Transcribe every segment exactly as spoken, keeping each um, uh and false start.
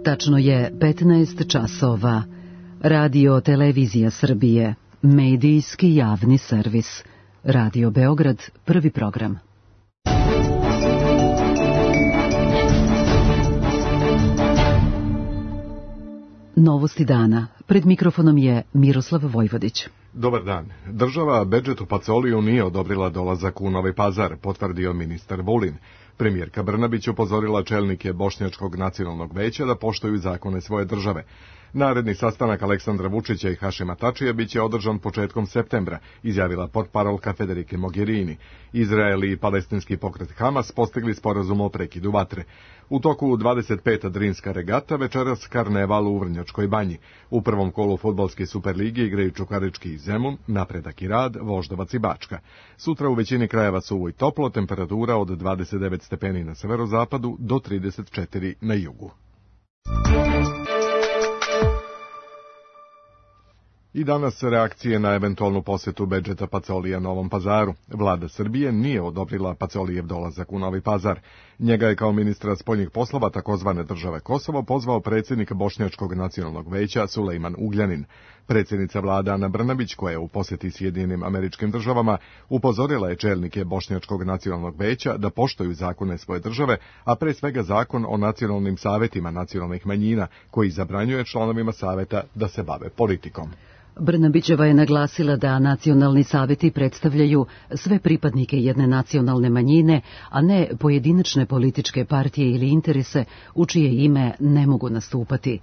Tačno je petnaest časova. Radio Televizija Srbije, medijski javni servis. Radio Beograd, prvi program. Novosti dana. Pred mikrofonom je Miroslav Vojvodić. Dobar dan. Država Bedžetu Pacoliju nije odobrila dolazak u Novi Pazar, potvrdio ministar Vulin. Premijerka Brnabić upozorila čelnike Bošnjačkog nacionalnog veća da poštuju zakone svoje države. Naredni sastanak Aleksandra Vučića i Hašima Tačija biće održan početkom septembra, izjavila portparolka Federike Mogherini. Izrael i palestinski pokret Hamas postigli sporazum o prekidu vatre. U toku dvadeset peta Drinska regata večeras karneval u Vrnjačkoj banji. U prvom kolu fudbalske Superlige igraju Čukarički i Zemun, Napredak i Rad, Voždovac i Bačka. Sutra u većini krajeva suvo i toplo, temperatura od dvadeset devet stepeni na severozapadu do trideset četiri na jugu. I danas reakcije na eventualnu posjetu Bedžeta Pacolija Novom Pazaru. Vlada Srbije nije odobrila Pacolijev dolazak u Novi Pazar. Njega je kao ministra spoljnih poslova takozvane države Kosovo pozvao predsjednik Bošnjačkog nacionalnog veća Sulejman Ugljanin. Predsjednica vlade Ana Brnabić, koja je u posjeti Sjedinjenim Američkim Državama, upozorila je čelnike Bošnjačkog nacionalnog veća da poštuju zakone svoje države, a pre svega zakon o nacionalnim savetima nacionalnih manjina, koji zabranjuje članovima saveta da se bave politikom. Brnabićeva je naglasila da nacionalni saveti predstavljaju sve pripadnike jedne nacionalne manjine, a ne pojedinačne političke partije ili interese u čije ime ne mogu nastupati.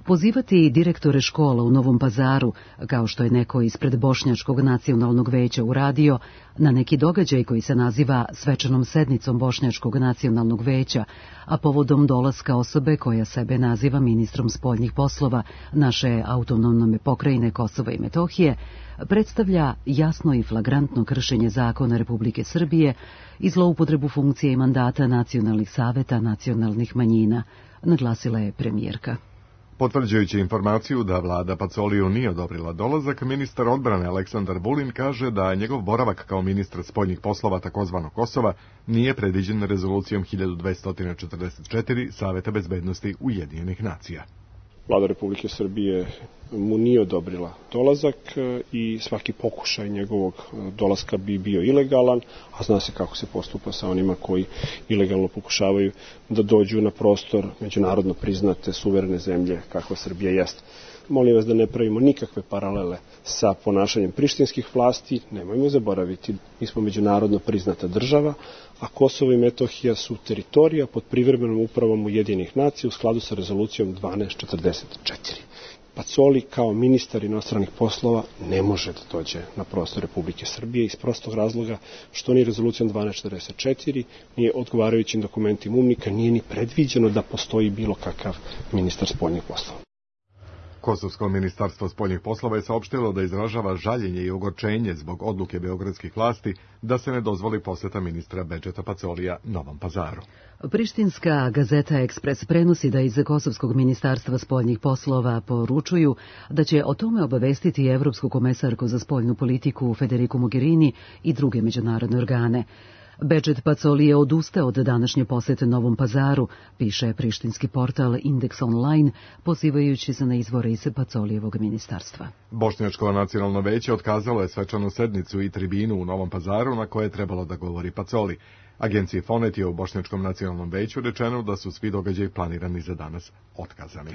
Pozivati direktore škola u Novom Pazaru, kao što je neko ispred Bošnjačkog nacionalnog veća uradio, na neki događaj koji se naziva svečanom sednicom Bošnjačkog nacionalnog veća, a povodom dolaska osobe koja sebe naziva ministrom spoljnih poslova naše autonomne pokrajine Kosova i Metohije, predstavlja jasno i flagrantno kršenje zakona Republike Srbije i zloupotrebu funkcije i mandata nacionalnih saveta nacionalnih manjina, naglasila je premijerka. Potvrđujući informaciju da vlada Pacoliju nije odobrila dolazak, ministar odbrane Aleksandar Vulin kaže da njegov boravak kao ministar spoljnih poslova takozvanog Kosova nije predviđen rezolucijom hiljadu dvesta četrdeset četiri Saveta bezbednosti Ujedinjenih nacija. Vlada Republike Srbije mu nije odobrila dolazak i svaki pokušaj njegovog dolaska bi bio ilegalan, a zna se kako se postupa sa onima koji ilegalno pokušavaju da dođu na prostor međunarodno priznate suverene zemlje kakva Srbija jeste. Molim vas da ne pravimo nikakve paralele sa ponašanjem prištinskih vlasti, nemojmo zaboraviti, mi smo međunarodno priznata država, a Kosovo i Metohija su teritorija pod privremenom upravom Ujedinjenih nacija u skladu sa rezolucijom dvanaest četrdeset četiri. Pacoli kao ministar inostranih poslova ne može da dođe na prostor Republike Srbije iz prostog razloga što ni rezolucijom dvanaest četrdeset četiri, nije odgovarajućim dokumentima UNMIK-a, nije ni predviđeno da postoji bilo kakav ministar spoljnih poslova. Kosovsko ministarstvo spoljnih poslova je saopštilo da izražava žaljenje i ogorčenje zbog odluke beogradskih vlasti da se ne dozvoli poseta ministra Bedžeta Pacolija Novom Pazaru. Prištinska gazeta Ekspres prenosi da iz Kosovskog ministarstva spoljnih poslova poručuju da će o tome obavestiti Evropsku komesarku za spoljnu politiku Federiku Mogherini i druge međunarodne organe. Bedžet Pacoli je odustao od današnje posete Novom Pazaru, piše prištinski portal Indeks Online, pozivajući se na izvore iz Pacolijevog ministarstva. Bošnjačko nacionalno veće otkazalo je svečanu sednicu i tribinu u Novom Pazaru na koje je trebalo da govori Pacoli. Agenciji Fonet je u Bošnjačkom nacionalnom veću rečeno da su svi događaji planirani za danas otkazani.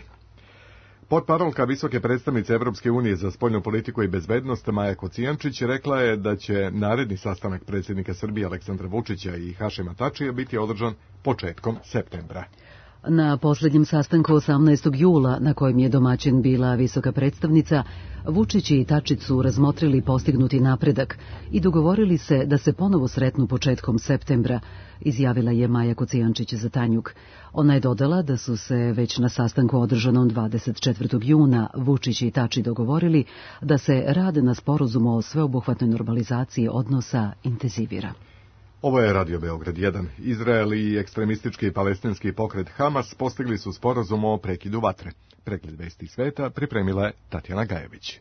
Portparolka visoke predstavnice Evropske unije za spoljnu politiku i bezbednost Maja Kocijančić rekla je da će naredni sastanak predsjednika Srbije Aleksandra Vučića i Hašima Tačija biti održan početkom septembra. Na posljednjem sastanku osamnaestog jula, na kojem je domaćin bila visoka predstavnica, Vučić i Tačić su razmotrili postignuti napredak i dogovorili se da se ponovo sretnu početkom septembra, izjavila je Maja Kocijančić za Tanjug. Ona je dodala da su se već na sastanku održanom dvadeset četvrtog juna Vučić i Tači dogovorili da se rad na sporazumu o sveobuhvatnoj normalizaciji odnosa intenzivira. Ovo je Radio Beograd jedan. Izrael i ekstremistički palestinski pokret Hamas postigli su sporazum o prekidu vatre. Pregled vesti sveta pripremila je Tatjana Gajević.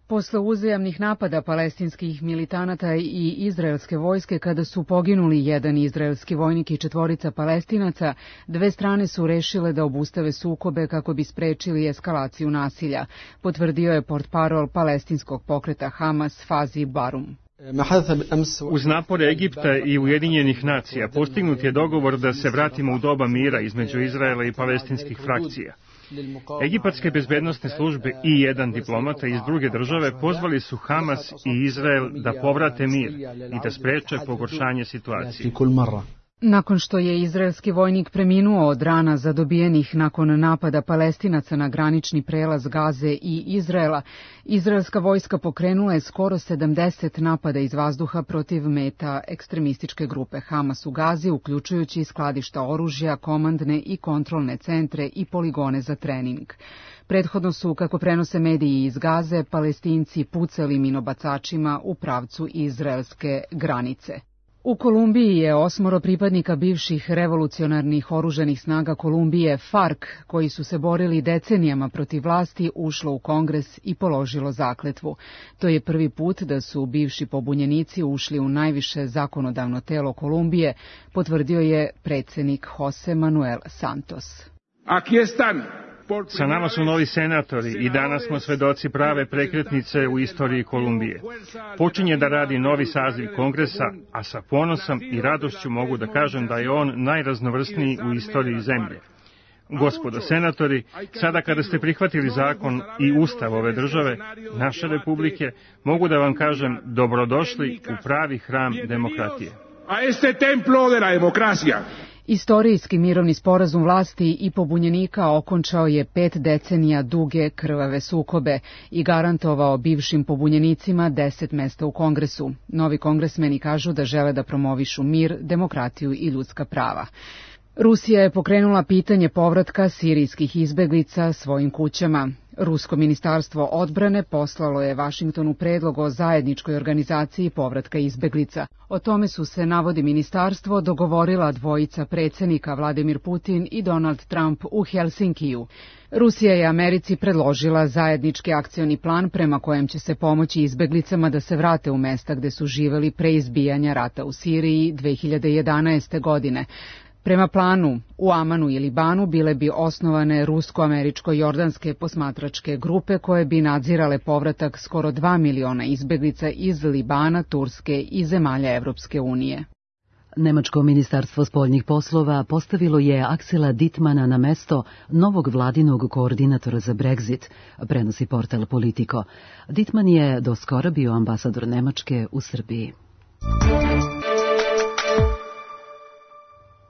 Posle uzajamnih napada palestinskih militanata i izraelske vojske, kada su poginuli jedan izraelski vojnik i četvorica Palestinaca, dve strane su rešile da obustave sukobe kako bi sprečili eskalaciju nasilja, potvrdio je portparol palestinskog pokreta Hamas Fazi Barum. Uz napore Egipta i Ujedinjenih nacija postignut je dogovor da se vratimo u doba mira između Izraela i palestinskih frakcija. Egipatske bezbednosne službe i jedan diplomata iz druge države pozvali su Hamas i Izrael da povrate mir i da spreče pogoršanje situacije. Nakon što je izraelski vojnik preminuo od rana zadobijenih nakon napada Palestinaca na granični prelaz Gaze i Izraela, izraelska vojska pokrenula je skoro sedamdeset napada iz vazduha protiv meta ekstremističke grupe Hamas u Gazi, uključujući skladišta oružja, komandne i kontrolne centre i poligone za trening. Prethodno su, kako prenose mediji iz Gaze, Palestinci pucali minobacačima u pravcu izraelske granice. U Kolumbiji je osmoro pripadnika bivših revolucionarnih oružanih snaga Kolumbije FARC, koji su se borili decenijama protiv vlasti, ušlo u Kongres i položilo zakletvu. To je prvi put da su bivši pobunjenici ušli u najviše zakonodavno telo Kolumbije, potvrdio je predsjednik Jose Manuel Santos. Aquí están. Sa nama su novi senatori i danas smo svedoci prave prekretnice u istoriji Kolumbije. Počinje da radi novi saziv Kongresa, a sa ponosom i radošću mogu da kažem da je on najraznovrsniji u istoriji zemlje. Gospodo senatori, sada kada ste prihvatili zakon i ustav ove države, naše republike, mogu da vam kažem dobrodošli u pravi hram demokratije. A este templo de la democracia. Istorijski mirovni sporazum vlasti i pobunjenika okončao je pet decenija duge krvave sukobe i garantovao bivšim pobunjenicima deset mesta u Kongresu. Novi kongresmeni kažu da žele da promovišu mir, demokratiju i ljudska prava. Rusija je pokrenula pitanje povratka sirijskih izbeglica svojim kućama. Rusko ministarstvo odbrane poslalo je Vašingtonu predlog o zajedničkoj organizaciji povratka izbeglica. O tome su se, navodi ministarstvo, dogovorila dvojica predsjednika Vladimir Putin i Donald Trump u Helsinkiju. Rusija je Americi predložila zajednički akcioni plan prema kojem će se pomoći izbeglicama da se vrate u mesta gde su živeli pre izbijanja rata u Siriji dve hiljade jedanaeste. godine. Prema planu, u Amanu i Libanu bile bi osnovane rusko-američko-jordanske posmatračke grupe koje bi nadzirale povratak skoro dva miliona izbeglica iz Libana, Turske i zemalja Evropske unije. Nemačko ministarstvo spoljnih poslova postavilo je Aksela Dittmana na mesto novog vladinog koordinatora za Brexit, prenosi portal Politico. Dittman je do skora bio ambasador Nemačke u Srbiji.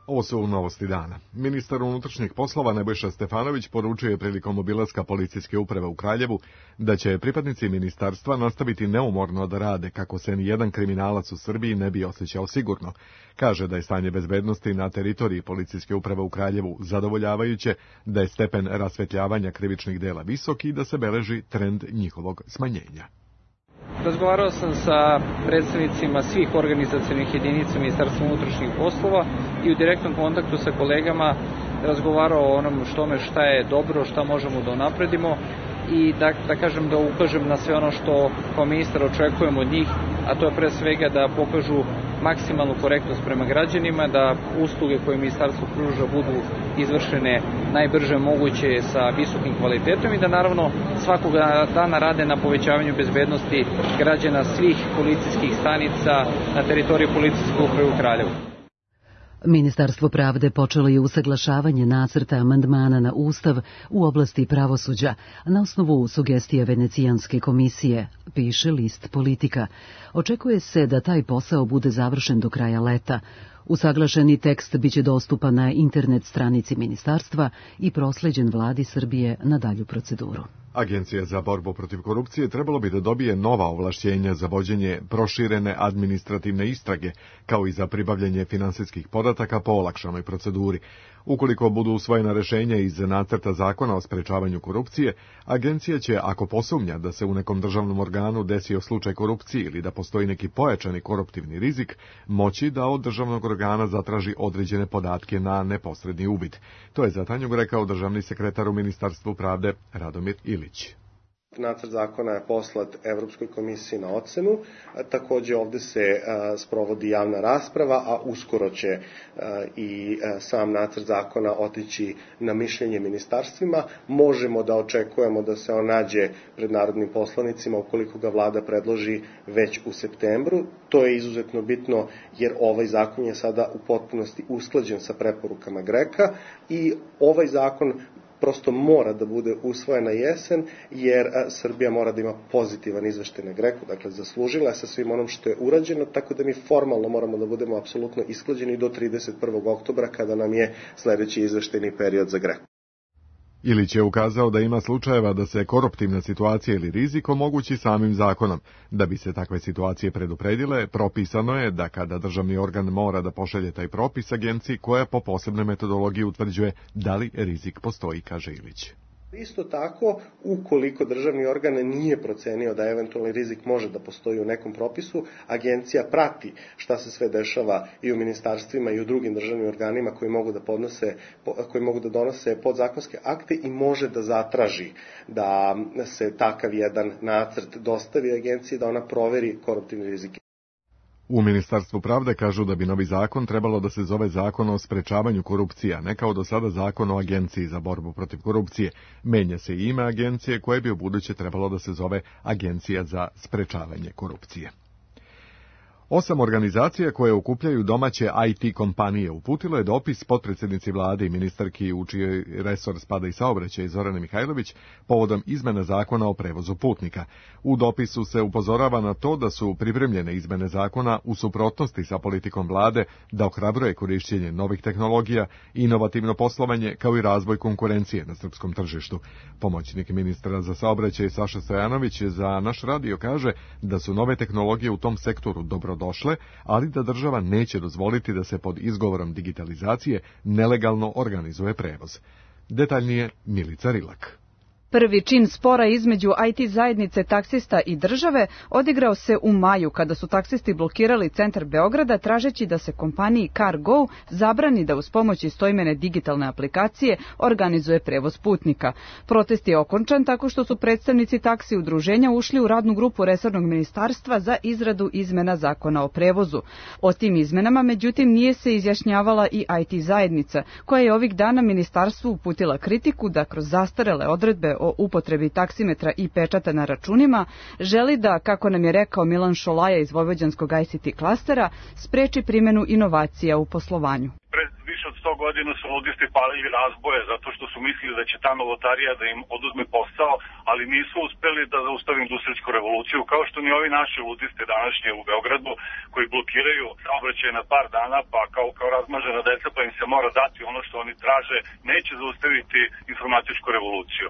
Ovo su novosti dana. Ministar unutrašnjih poslova Nebojša Stefanović poručio je prilikom obilaska policijske uprave u Kraljevu da će pripadnici ministarstva nastaviti neumorno da rade kako se ni jedan kriminalac u Srbiji ne bi osjećao sigurno. Kaže da je stanje bezbednosti na teritoriji policijske uprave u Kraljevu zadovoljavajuće, da je stepen rasvetljavanja krivičnih dela visok i da se beleži trend njihovog smanjenja. Razgovarao sam sa predstavnicima svih organizacionih jedinica Ministarstva unutrašnjih poslova i u direktnom kontaktu sa kolegama razgovarao o onom štome šta je dobro, šta možemo da unapredimo i da, da kažem da ukažem na sve ono što kao ministar očekujem od njih, a to je pre svega da pokažu maksimalnu korektnost prema građanima, da usluge koje ministarstvo pruža budu izvršene najbrže moguće sa visokim kvalitetom i da naravno svakog dana rade na povećavanju bezbednosti građana svih policijskih stanica na teritoriji policijske uprave u Kraljevu. Ministarstvo pravde počelo je usaglašavanje nacrta amandmana na Ustav u oblasti pravosuđa na osnovu sugestija Venecijanske komisije, piše list Politika. Očekuje se da taj posao bude završen do kraja leta. Usaglašeni tekst biće dostupan na internet stranici ministarstva i prosleđen vladi Srbije na dalju proceduru. Agencija za borbu protiv korupcije trebalo bi da dobije nova ovlašćenja za vođenje proširene administrativne istrage, kao i za pribavljanje finansijskih podataka po olakšanoj proceduri. Ukoliko budu usvojena rešenja iz nacrta zakona o sprečavanju korupcije, agencija će, ako posumnja da se u nekom državnom organu desio slučaj korupcije ili da postoji neki pojačani koruptivni rizik, moći da od državnog organa zatraži određene podatke na neposredni uvid. To je za Tanjug rekao državni sekretar u Ministarstvu pravde Radomir Ilić. Nacrt zakona je poslat Evropskoj komisiji na ocenu, takođe ovde se a, sprovodi javna rasprava, a uskoro će a, i a, sam nacrt zakona otići na mišljenje ministarstvima. Možemo da očekujemo da se on nađe pred narodnim poslanicima ukoliko ga vlada predloži već u septembru. To je izuzetno bitno jer ovaj zakon je sada u potpunosti usklađen sa preporukama GREKA i ovaj zakon prosto mora da bude usvojen na jesen, jer Srbija mora da ima pozitivan izveštaj na GREKU, dakle zaslužila je sa svim onom što je urađeno, tako da mi formalno moramo da budemo apsolutno isklađeni do trideset prvog oktobra kada nam je sledeći izveštajni period za GREKU. Ilić je ukazao da ima slučajeva da se koruptivna situacija ili rizik omogući samim zakonom. Da bi se takve situacije predupredile, propisano je da kada državni organ mora da pošalje taj propis agenciji koja po posebnoj metodologiji utvrđuje da li rizik postoji, kaže Ilić. Isto tako, ukoliko državni organ nije procenio da eventualni rizik može da postoji u nekom propisu, agencija prati šta se sve dešava i u ministarstvima i u drugim državnim organima koji mogu da podnose, koji mogu da donose podzakonske akte i može da zatraži da se takav jedan nacrt dostavi agenciji da ona proveri koruptivni rizik. U Ministarstvu pravde kažu da bi novi zakon trebalo da se zove Zakon o sprečavanju korupcije, a ne kao do sada Zakon o Agenciji za borbu protiv korupcije. Menja se i ime agencije koje bi ubuduće trebalo da se zove Agencija za sprečavanje korupcije. Osam organizacija koje okupljaju domaće I T kompanije uputilo je dopis potpredsjednici vlade i ministarki u čiji resor spada i saobraćaj Zorane Mihajlović povodom izmene zakona o prevozu putnika. U dopisu se upozorava na to da su pripremljene izmene zakona u suprotnosti sa politikom vlade da ohrabruje korišćenje novih tehnologija, inovativno poslovanje kao i razvoj konkurencije na srpskom tržištu. Pomoćnik ministra za saobraćaj Saša Stojanović za naš radio kaže da su nove tehnologije u tom sektoru dobro došle, ali da država neće dozvoliti da se pod izgovorom digitalizacije nelegalno organizuje prevoz. Detaljnije Milica Rilak. Prvi čin spora između I T zajednice taksista i države odigrao se u maju kada su taksisti blokirali centar Beograda tražeći da se kompaniji CarGo zabrani da uz pomoć istoimene digitalne aplikacije organizuje prevoz putnika. Protest je okončan tako što su predstavnici taksi udruženja ušli u radnu grupu resornog ministarstva za izradu izmena zakona o prevozu. O tim izmenama, međutim, nije se izjašnjavala i I T zajednica, koja je ovih dana ministarstvu uputila kritiku da kroz zastarele odredbe o upotrebi taksimetra i pečata na računima želi da, kako nam je rekao Milan Šolaja iz Vojvođanskog I C T klastera, spreči primjenu inovacija u poslovanju. Pred više od sto godina su ludisti palili razboje zato što su mislili da će ta novotarija da im oduzme posao, ali nisu uspeli da zaustave industrijsku revoluciju, kao što ni ovi naši ludisti današnje u Beogradu koji blokiraju saobraćaj na par dana, pa kao, kao razmažena deca pa im se mora dati ono što oni traže, neće zaustaviti informatičku revoluciju.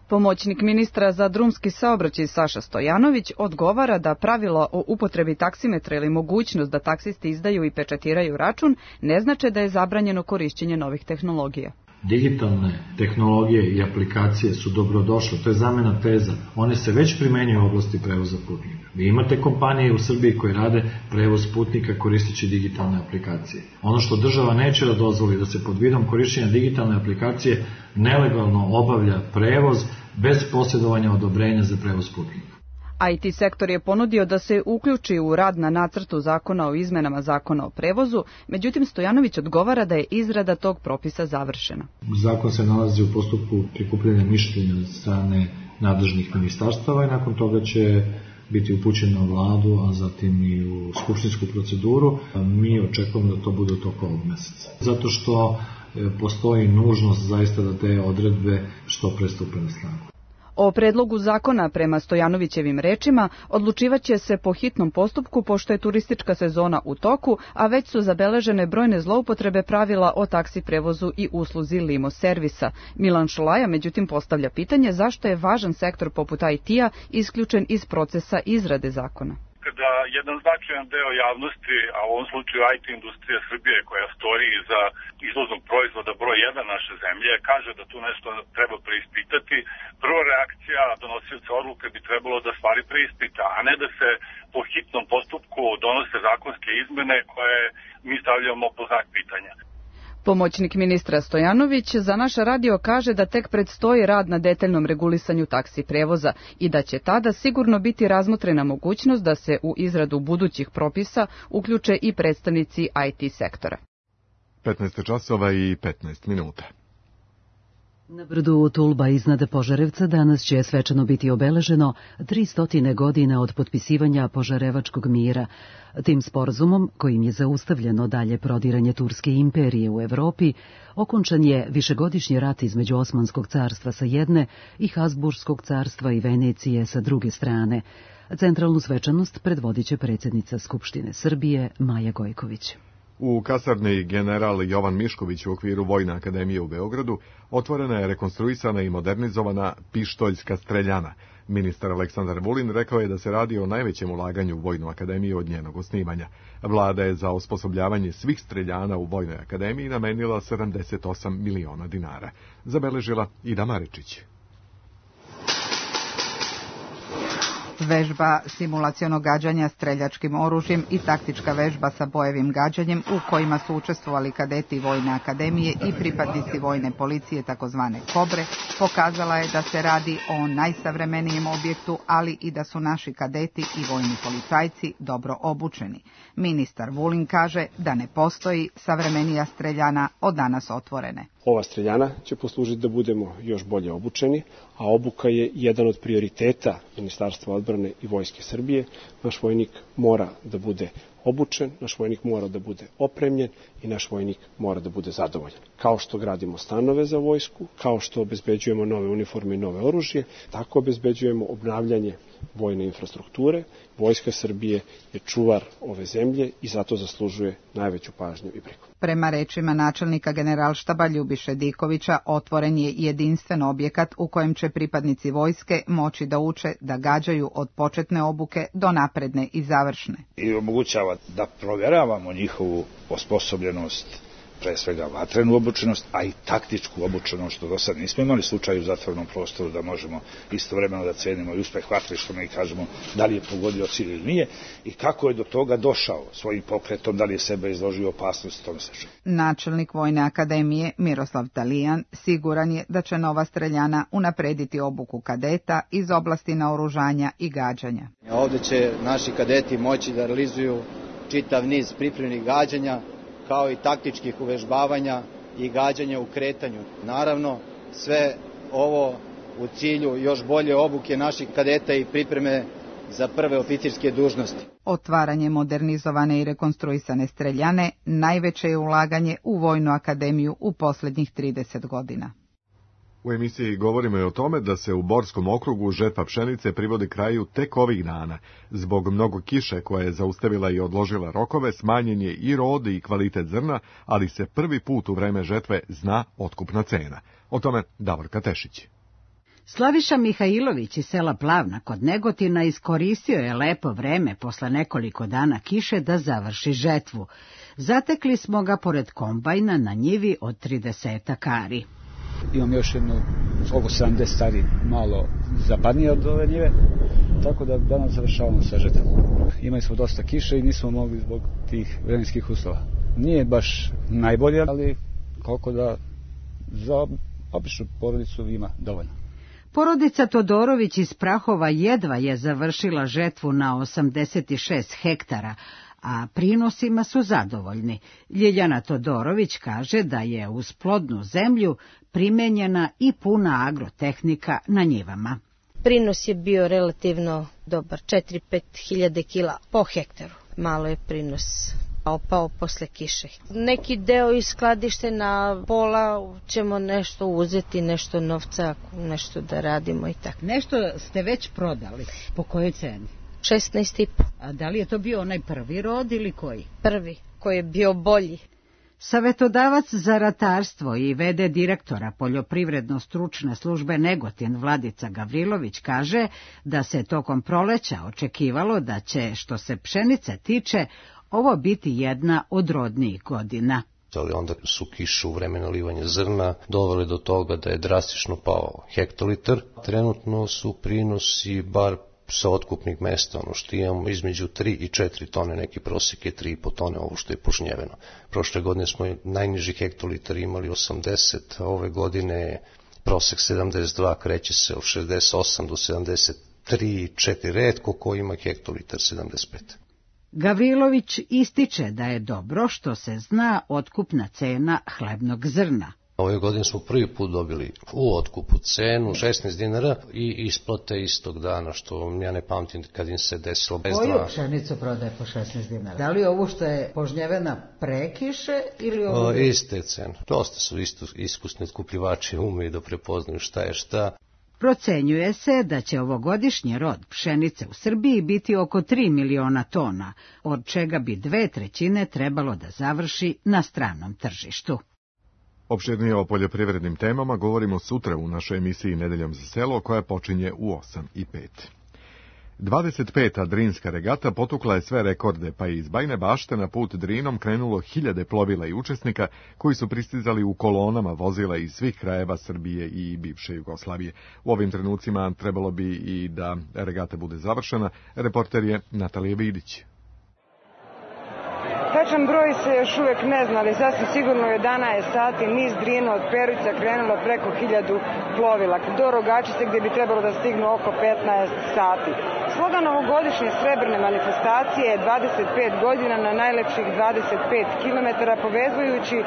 Pomoćnik ministra za drumski saobraćaj Saša Stojanović odgovara da pravilo o upotrebi taksimetra ili mogućnost da taksisti izdaju i pečatiraju račun ne znače da je zabranjeno korišćenje novih tehnologija. Digitalne tehnologije i aplikacije su dobrodošle, to je zamena teza. One se već primenjuju u oblasti prevoza putnika. Vi imate kompanije u Srbiji koje rade prevoz putnika koristeći digitalne aplikacije. Ono što država neće da dozvoli da se pod vidom korišćenja digitalne aplikacije nelegalno obavlja prevoz bez posjedovanja odobrenja za prevoz putnika. I T sektor je ponudio da se uključi u rad na nacrtu zakona o izmenama zakona o prevozu, međutim Stojanović odgovara da je izrada tog propisa završena. Zakon se nalazi u postupku prikupljanja mišljenja od strane nadležnih ministarstava i nakon toga će biti upućen na vladu, a zatim i u skupštinsku proceduru. Mi očekujemo da to bude u toku ovog meseca. Zato što postoji nužnost zaista da te odredbe što pre stupe na snagu. O predlogu zakona, prema Stojanovićevim rečima, odlučivaće se po hitnom postupku pošto je turistička sezona u toku, a već su zabeležene brojne zloupotrebe pravila o taksi prevozu i usluzi limo servisa. Milan Šolaja međutim postavlja pitanje zašto je važan sektor poput I T-a isključen iz procesa izrade zakona. Kada jedan značajan deo javnosti, a u ovom slučaju I T industrija Srbije koja stoji iza izvoznog proizvoda broj jedan naše zemlje, kaže da tu nešto treba preispitati, prva reakcija donosioca odluke bi trebalo da stvari preispita, a ne da se po hitnom postupku donose zakonske izmene koje mi stavljamo po znak pitanja. Pomoćnik ministra Stojanović za naš radio kaže da tek predstoji rad na detaljnom regulisanju taksi prevoza i da će tada sigurno biti razmotrena mogućnost da se u izradu budućih propisa uključe i predstavnici I T sektora. petnaest časova i petnaest minuta. Na brdu Tulba iznad Požarevca danas će svečano biti obeleženo tristo godina od potpisivanja Požarevačkog mira. Tim sporazumom, kojim je zaustavljeno dalje prodiranje Turske imperije u Evropi, okončan je višegodišnji rat između Osmanskog carstva sa jedne i Habsburškog carstva i Venecije sa druge strane. Centralnu svečanost predvodit će predsjednica Skupštine Srbije Maja Gojković. U kasarni general Jovan Mišković u okviru Vojne akademije u Beogradu otvorena je rekonstruisana i modernizovana pištoljska streljana. Ministar Aleksandar Vulin rekao je da se radi o najvećem ulaganju u Vojnu akademiju od njenog osnivanja. Vlada je za osposobljavanje svih streljana u Vojnoj akademiji namenila sedamdeset osam miliona dinara. Zabeležila Ida Maričić. Vežba simulacionog gađanja streljačkim oružjem i taktička vežba sa bojevim gađanjem u kojima su učestvovali kadeti Vojne akademije i pripadnici Vojne policije takozvane Kobre pokazala je da se radi o najsavremenijem objektu, ali i da su naši kadeti i vojni policajci dobro obučeni. Ministar Vulin kaže da ne postoji savremenija streljana od danas otvorene. Ova streljana će poslužiti da budemo još bolje obučeni, a obuka je jedan od prioriteta Ministarstva odbrane i Vojske Srbije. Naš vojnik mora da bude obučen, naš vojnik mora da bude opremljen i naš vojnik mora da bude zadovoljan. Kao što gradimo stanove za vojsku, kao što obezbeđujemo nove uniforme i nove oružje, tako obezbeđujemo obnavljanje vojne infrastrukture. Vojska Srbije je čuvar ove zemlje i zato zaslužuje najveću pažnju i brigu. Prema rečima načelnika Generalštaba Ljubiše Dikovića, otvoren je jedinstven objekat u kojem će pripadnici vojske moći da uče da gađaju od početne obuke do napredne i završne. I omogućava da provjeravamo njihovu osposobljenost, pre svega vatrenu obučenost, a i taktičku obučenost, što do sad nismo imali slučaj u zatvorenom prostoru da možemo istovremeno da cenimo i uspeh vatre, što mi kažemo da li je pogodio cilj ili nije, i kako je do toga došao svojim pokretom, da li je sebe izložio opasnosti, tome sve. Načelnik Vojne akademije Miroslav Talijan siguran je da će nova streljana unaprediti obuku kadeta iz oblasti naoružanja i gađanja. Ovde će naši kadeti moći da realizuju čitav niz pripremnih gađanja, kao i taktičkih uvežbavanja i gađanja u kretanju. Naravno, sve ovo u cilju još bolje obuke naših kadeta i pripreme za prve oficirske dužnosti. Otvaranje modernizovane i rekonstruisane streljane najveće je ulaganje u Vojnu akademiju u posljednjih trideset godina. U emisiji govorimo i o tome da se u Borskom okrugu žetva pšenice privodi kraju tek ovih dana. Zbog mnogo kiše koja je zaustavila i odložila rokove, smanjen je i rod i kvalitet zrna, ali se prvi put u vreme žetve zna otkupna cena. O tome Davorka Tešić. Slaviša Mihajlović iz sela Plavna kod Negotina iskoristio je lepo vreme posle nekoliko dana kiše da završi žetvu. Zatekli smo ga pored kombajna na njivi od tridesetak ari. Imam još jedno oko sedamdeset stari malo zapadnije od ove njive, tako da danas završavamo sa žetvom. Imali smo dosta kiše i nismo mogli zbog tih vremenskih uslova. Nije baš najbolje, ali koliko da za običnu porodicu ima dovoljno. Porodica Todorović iz Prahova jedva je završila žetvu na osamdeset šest hektara, a prinosima su zadovoljni. Ljiljana Todorović kaže da je uz plodnu zemlju primenjena i puna agrotehnika na njivama. Prinos je bio relativno dobar, četiri do pet hiljada kila po hektaru. Malo je prinos opao posle kiše. Neki deo iz skladište na pola ćemo nešto uzeti, nešto novca, nešto da radimo i tako. Nešto ste već prodali. Po kojoj ceni? šesnaest i po. A da li je to bio onaj prvi rod ili koji? Prvi, koji je bio bolji. Savetodavac za ratarstvo i ve de direktora Poljoprivredno-stručne službe Negotin Vladica Gavrilović kaže da se tokom proleća očekivalo da će, što se pšenice tiče, ovo biti jedna od rodnijih godina. Ali onda su kiše u vreme nalivanja zrna doveli do toga da je drastično pao hektolitar. Trenutno su prinosi bar sa otkupnih mesta, ono što imamo između tri i četiri tone, neki prosjek je tri i po tone ovo što je požnjeveno. Prošle godine smo najniži hektolitar imali osamdeset, a ove godine prosek sedamdeset dva, kreće se od šezdeset osam do sedamdeset tri, četiri, retko ko ima hektolitar sedamdeset pet. Gavrilović ističe da je dobro što se zna otkupna cena hlebnog zrna. Ove godine smo prvi put dobili u otkupu cenu šesnaest dinara i isplate istog dana, što ja ne pamtim kad im se desilo. Koju pšenicu prodaje po šesnaest dinara? Da li ovo što je požnjevena prekiše ili ovo? O, iste cene. Dosta su isto iskusni otkupljivači, umeju da prepoznaju šta je šta. Procenjuje se da će ovogodišnji rod pšenice u Srbiji biti oko tri miliona tona, od čega bi dve trećine trebalo da završi na stranom tržištu. Opširnije o poljoprivrednim temama govorimo sutra u našoj emisiji Nedeljom za selo, koja počinje u osam i pet. dvadeset peta Drinska regata potukla je sve rekorde, pa je iz Bajine Bašte na put Drinom krenulo hiljade plovila i učesnika koji su pristizali u kolonama vozila iz svih krajeva Srbije i bivše Jugoslavije. U ovim trenucima trebalo bi i da regata bude završena. Reporter je Natalija Vidić. Tačan broj se još uvek ne zna, ali sasvim sigurno u jedanaest sati niz Drina od Peruća krenulo preko hiljadu plovila do Rogačice, gdje bi trebalo da stignu oko petnaest sati. Slogan ovogodišnje srebrne manifestacije je dvadeset pet godina na najlepših dvadeset pet kilometara, povezujući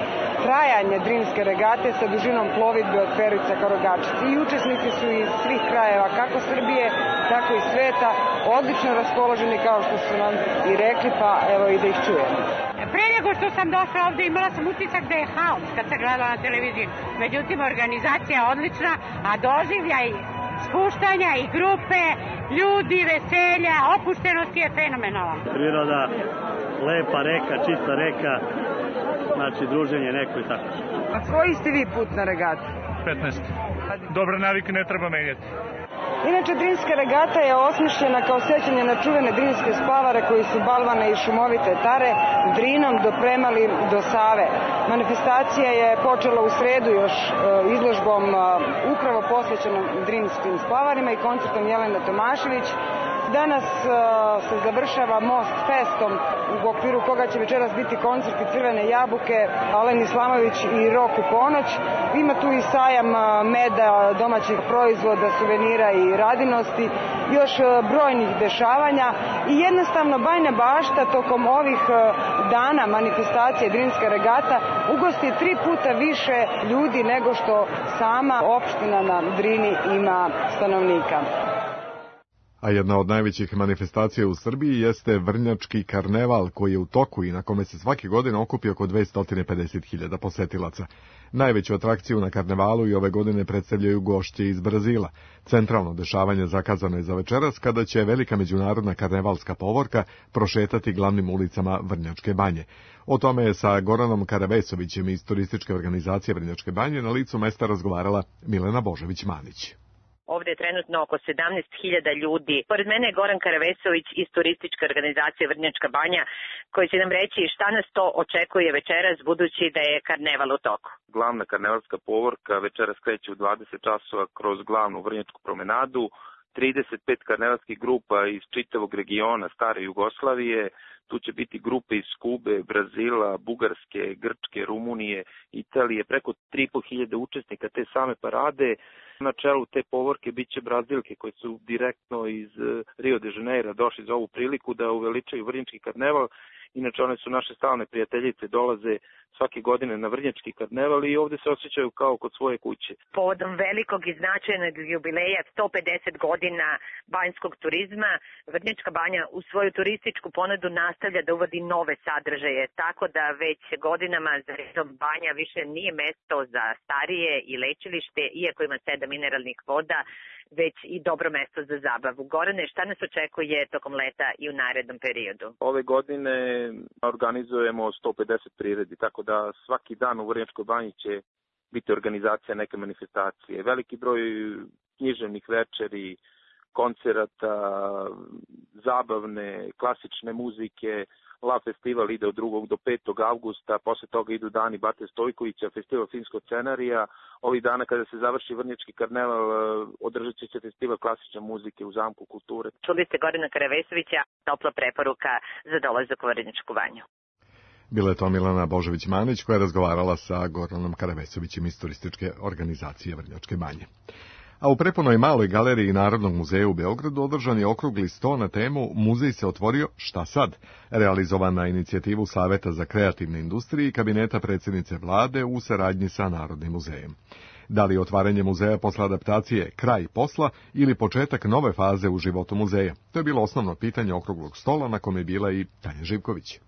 trajanje Drinske regate sa dužinom plovidbe od Peruća ka Rogačici. I učesnici su iz svih krajeva, kako Srbije, tako i sveta, odlično raspoloženi, kao što su nam i rekli, pa evo i da ih čujemo. Pre nego što sam došla ovde imala sam utisak da je haos kad sam gledala na televiziji. Međutim, organizacija je odlična, a doživljaj spuštanja i grupe, ljudi, veselja, opuštenosti je fenomenalan. Priroda, lepa reka, čista reka, znači druženje neko i tako. A koji ste vi put na regati? petnaest. Dobre navike ne treba menjati. Inače, Drinska regata je osmišljena kao sećanje na čuvene drinske splavare koji su balvane i šumovite tare Drinom dopremali do Save. Manifestacija je počela u sredu još izložbom upravo posvećenom drinskim splavarima i koncertom Jelene Tomašević. Danas se završava Most Festom, u okviru koga će večeras biti koncerti Crvene jabuke, Alen Islamović i Rok u ponoć. Ima tu i sajam meda, domaćih proizvoda, suvenira i radinosti, još brojnih dešavanja i jednostavno Bajina Bašta tokom ovih dana manifestacije Drinska regata ugosti tri puta više ljudi nego što sama opština na Drini ima stanovnika. A jedna od najvećih manifestacija u Srbiji jeste Vrnjački karneval, koji je u toku i na kome se svake godine okupi oko dvesta pedeset hiljada posetilaca. Najveću atrakciju na karnevalu i ove godine predstavljaju gošće iz Brazila. Centralno dešavanje zakazano je za večeras, kada će velika međunarodna karnevalska povorka prošetati glavnim ulicama Vrnjačke banje. O tome je sa Goranom Karavesovićem iz turističke organizacije Vrnjačke banje na licu mesta razgovarala Milena Božović-Manić. Ovde je trenutno oko sedamnaest hiljada ljudi. Pored mene je Goran Karavesović iz turističke organizacije Vrnjačka banja, koji će nam reći šta nas to očekuje večeras, budući da je karneval u toku. Glavna karnevalska povorka večeras kreće u dvadeset časova kroz glavnu Vrnjačku promenadu. trideset pet karnevalskih grupa iz čitavog regiona stare Jugoslavije. Tu će biti grupe iz Kube, Brazila, Bugarske, Grčke, Rumunije, Italije, preko tri i po hiljade učesnika te same parade. Na čelu te povorke bit će Brazilke koje su direktno iz Rio de Janeira došli za ovu priliku da uveličaju Vrnjački karneval. Inače, one su naše stalne prijateljice, dolaze svake godine na Vrnjački karneval i ovde se osjećaju kao kod svoje kuće. Povodom velikog i značajnog jubileja sto pedeset godina banjskog turizma, Vrnjačka banja u svoju turističku ponudu nastavlja da uvodi nove sadržaje, tako da već godinama za redom banja više nije mesto za starije i lečilište, iako ima sedam mineralnih voda, već i dobro mesto za zabavu. Gorane, šta nas očekuje tokom leta i u narednom periodu? Ove godine organizujemo sto pedeset priredi, tako da svaki dan u Vrnjačkoj banji će biti organizacija neke manifestacije. Veliki broj književnih večeri, koncerata, zabavne, klasične muzike. La festival ide od drugog do petog avgusta, posle toga idu dani Bate Stojkovića, festival filmskog scenarija. Ovih dana kada se završi Vrnjački karneval, održat će se festival klasične muzike u Zamku kulture. Čuli ste Gorana Karavesovića, topla preporuka za dolazak u Vrnjačku banju. Bila je to Milana Božović-Manić koja je razgovarala sa Goranom Karavesovićem iz turističke organizacije Vrnjačke banje. A u prepunoj maloj galeriji Narodnog muzeja u Beogradu održan je okrugli sto na temu Muzej se otvorio, šta sad? Realizovan na inicijativu Saveta za kreativne industrije i kabineta predsjednice vlade u saradnji sa Narodnim muzejem. Da li je otvaranje muzeja posle adaptacije kraj posla ili početak nove faze u životu muzeja? To je bilo osnovno pitanje okruglog stola na kome je bila i Tanja Živković.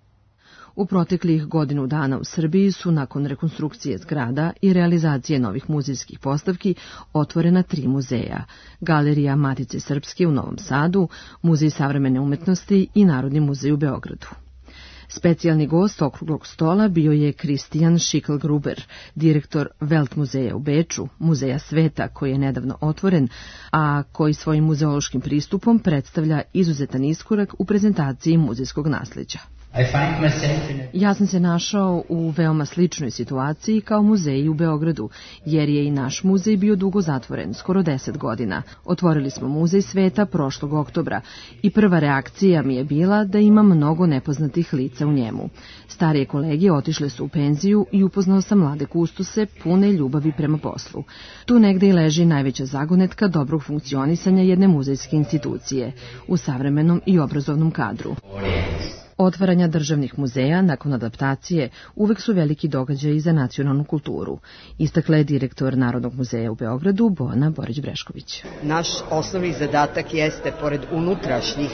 U proteklih godinu dana u Srbiji su nakon rekonstrukcije zgrada i realizacije novih muzejskih postavki otvorena tri muzeja: Galerija Matice Srpske u Novom Sadu, Muzej savremene umetnosti i Narodni muzej u Beogradu. Specijalni gost okruglog stola bio je Kristijan Šikelgruber, direktor Welt muzeja u Beču, muzeja sveta koji je nedavno otvoren, a koji svojim muzeološkim pristupom predstavlja izuzetan iskorak u prezentaciji muzejskog nasleđa. Ja sam se našao u veoma sličnoj situaciji kao muzeji u Beogradu, jer je i naš muzej bio dugo zatvoren, skoro deset godina. Otvorili smo muzej sveta prošlog oktobra i prva reakcija mi je bila da ima mnogo nepoznatih lica u njemu. Starije kolege otišle su u penziju i upoznao sam mlade kustose pune ljubavi prema poslu. Tu negde i leži najveća zagonetka dobrog funkcionisanja jedne muzejske institucije u savremenom i obrazovnom kadru. Otvaranja državnih muzeja nakon adaptacije uvek su veliki događaji za nacionalnu kulturu, istakla je direktor Narodnog muzeja u Beogradu Bojana Borić-Brešković. Naš osnovni zadatak jeste, pored unutrašnjih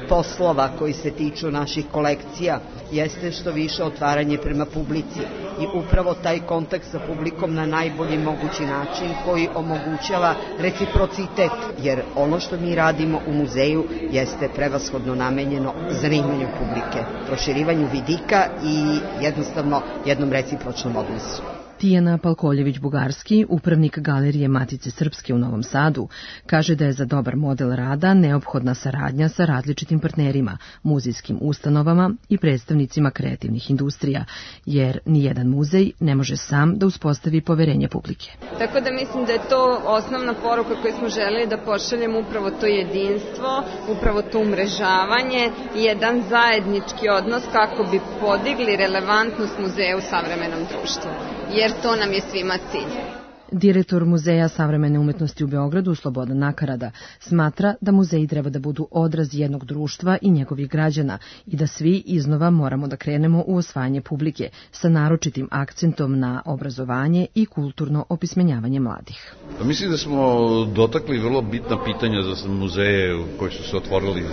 poslova koji se tiču naših kolekcija, jeste što više otvaranje prema publici i upravo taj kontakt sa publikom na najbolji mogući način koji omogućava reciprocitet, jer ono što mi radimo u muzeju jeste prevashodno namenjeno zanimanju publike, proširivanju vidika i jednostavno jednom recipročnom odnosu. Tijana Palkoljević-Bugarski, upravnik Galerije Matice Srpske u Novom Sadu, kaže da je za dobar model rada neophodna saradnja sa različitim partnerima, muzejskim ustanovama i predstavnicima kreativnih industrija, jer nijedan muzej ne može sam da uspostavi poverenje publike. Tako da mislim da je to osnovna poruka koju smo želeli da pošaljemo, upravo to jedinstvo, upravo to umrežavanje i jedan zajednički odnos kako bi podigli relevantnost muzeja u savremenom društvu. Jer to nam je svima cilj. Direktor Muzeja savremene umetnosti u Beogradu, Slobodan Nakarada, smatra da muzeji treba da budu odraz jednog društva i njegovih građana i da svi iznova moramo da krenemo u osvajanje publike sa naročitim akcentom na obrazovanje i kulturno opismenjavanje mladih. Mislim da smo dotakli vrlo bitna pitanja za muzeje koji su se otvorili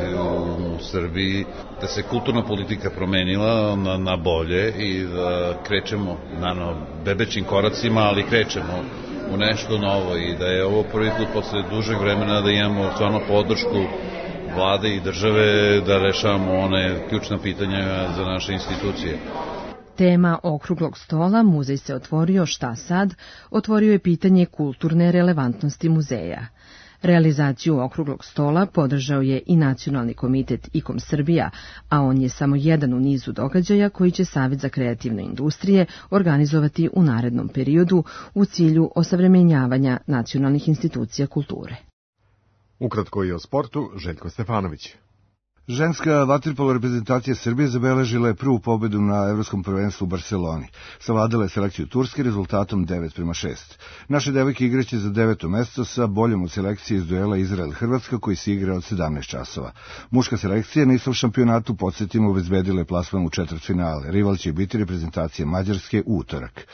u Srbiji, da se kulturna politika promenila na, na bolje i da krećemo naravno bebećim koracima, ali krećemo u nešto novo i da je ovo prvi put posle dužeg vremena da imamo stvarno podršku vlade i države da rešavamo one ključna pitanja za naše institucije. Tema okruglog stola Muzej se otvorio, šta sad, otvorio je pitanje kulturne relevantnosti muzeja. Realizaciju okruglog stola podržao je i Nacionalni komitet I K O M Srbija, a on je samo jedan u nizu događaja koji će Savet za kreativne industrije organizovati u narednom periodu u cilju osavremenjavanja nacionalnih institucija kulture. Ukratko i o sportu, Željko Stefanović. Ženska vaterpolo reprezentacija Srbije zabeležila je prvu pobedu na Evropskom prvenstvu u Barseloni. Savladala je selekciju Turske rezultatom devet prema šest. Naše devojke igraće za deveto mesto sa boljom od selekcije iz duela Izrael-Hrvatska koji se igra od sedamnaest časova. Muška selekcija na istom šampionatu, podsjetimo, obezbedila je plasman u četvrtfinale. Rival će biti reprezentacija Mađarske u utorak.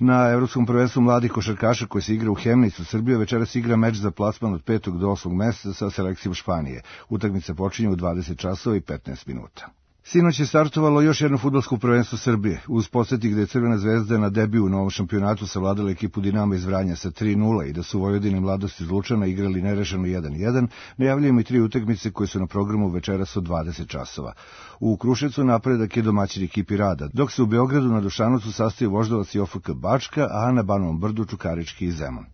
Na Evropskom prvenstvu mladih košarkaša koji se igra u Hemnicu, Srbija večeras igra meč za plasman od petog do osmog mesta sa selekcijom Španije. Utakmica počinje u dvadeset časova i petnaest minuta. Sinoć je startovalo još jedno fudbalsko prvenstvo Srbije. Uz podsjetnik da je Crvena zvezda na debiju u novom šampionatu savladala ekipu Dinama iz Vranja sa tri nula i da su Vojvodine Mladost iz Lučana igrali nerešeno jedan jedan, najavljujemo i tri utakmice koje su na programu večeras od dvadeset časova. U Kruševcu napredak je domaćin ekipi Rada, dok se u Beogradu na Dušanovcu sastaju Voždovac i O F K Bačka, a na Banovom Brdu Čukarički i Zemun.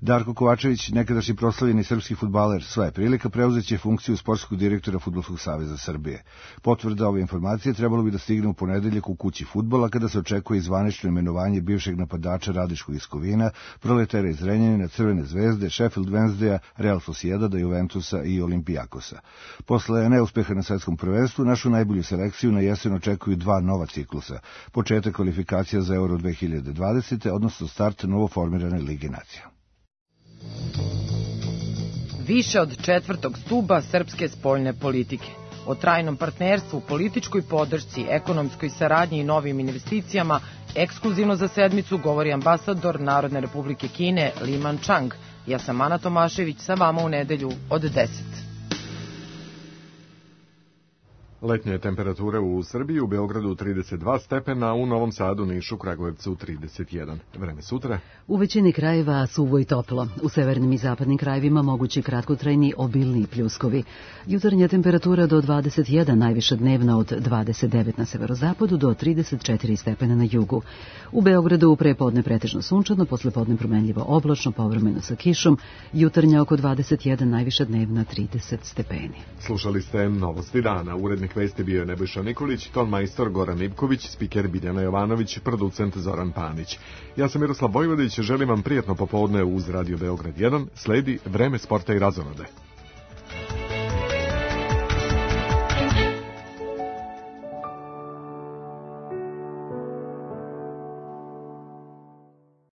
Darko Kovačević, nekadašnji proslavljeni srpski fudbaler, sva je prilika, preuzeće funkciju sportskog direktora Fudbalskog saveza Srbije. Potvrda ove informacije trebalo bi da stigne u ponedeljak u kući fudbala, kada se očekuje zvanično imenovanje bivšeg napadača Radiškog iz Kovina, Proletera iz Renjanina, Crvene zvezde, Sheffield Wednesdaya, Real Sociedada, Juventusa i Olimpijakosa. Posle neuspeha na svetskom prvenstvu, našu najbolju selekciju na jesen očekuju dva nova ciklusa. Početak kvalifikacija za Euro dve hiljade dvadesete. odnosno start novoformirane Lige nacija. Više od četvrtog stuba srpske spoljne politike. O trajnom partnerstvu, političkoj podršci, ekonomskoj saradnji i novim investicijama ekskluzivno za sedmicu govori ambasador Narodne republike Kine Li Manchang. Ja sam Ana Tomašević, sa vama u nedelju od deset. Letnje temperature u Srbiji, u Beogradu trideset dva stepena, u Novom Sadu, Nišu, Kragujevcu trideset jedan. Vreme sutra. U većini krajeva suvo i toplo. U severnim i zapadnim krajevima mogući kratkotrajni obilni pljuskovi. Jutarnja temperatura do dvadeset jedan, najviša dnevna od dvadeset devet na severozapadu do trideset četiri stepena na jugu. U Beogradu prepodne pretežno sunčano, poslepodne promenljivo oblačno, povremeno sa kišom. Jutarnja oko dvadeset jedan, najviša dnevna trideset stepeni. Slušali ste Novosti dana. Urednik vesti bio je Nebojša Nikolić, tonmajstor Goran Ivković, spiker Biljana Jovanović, producent Zoran Panić. Ja sam Miroslav Vojvodić, želim vam prijatno popodne uz Radio Beograd jedan, sledi Vreme sporta i razonode.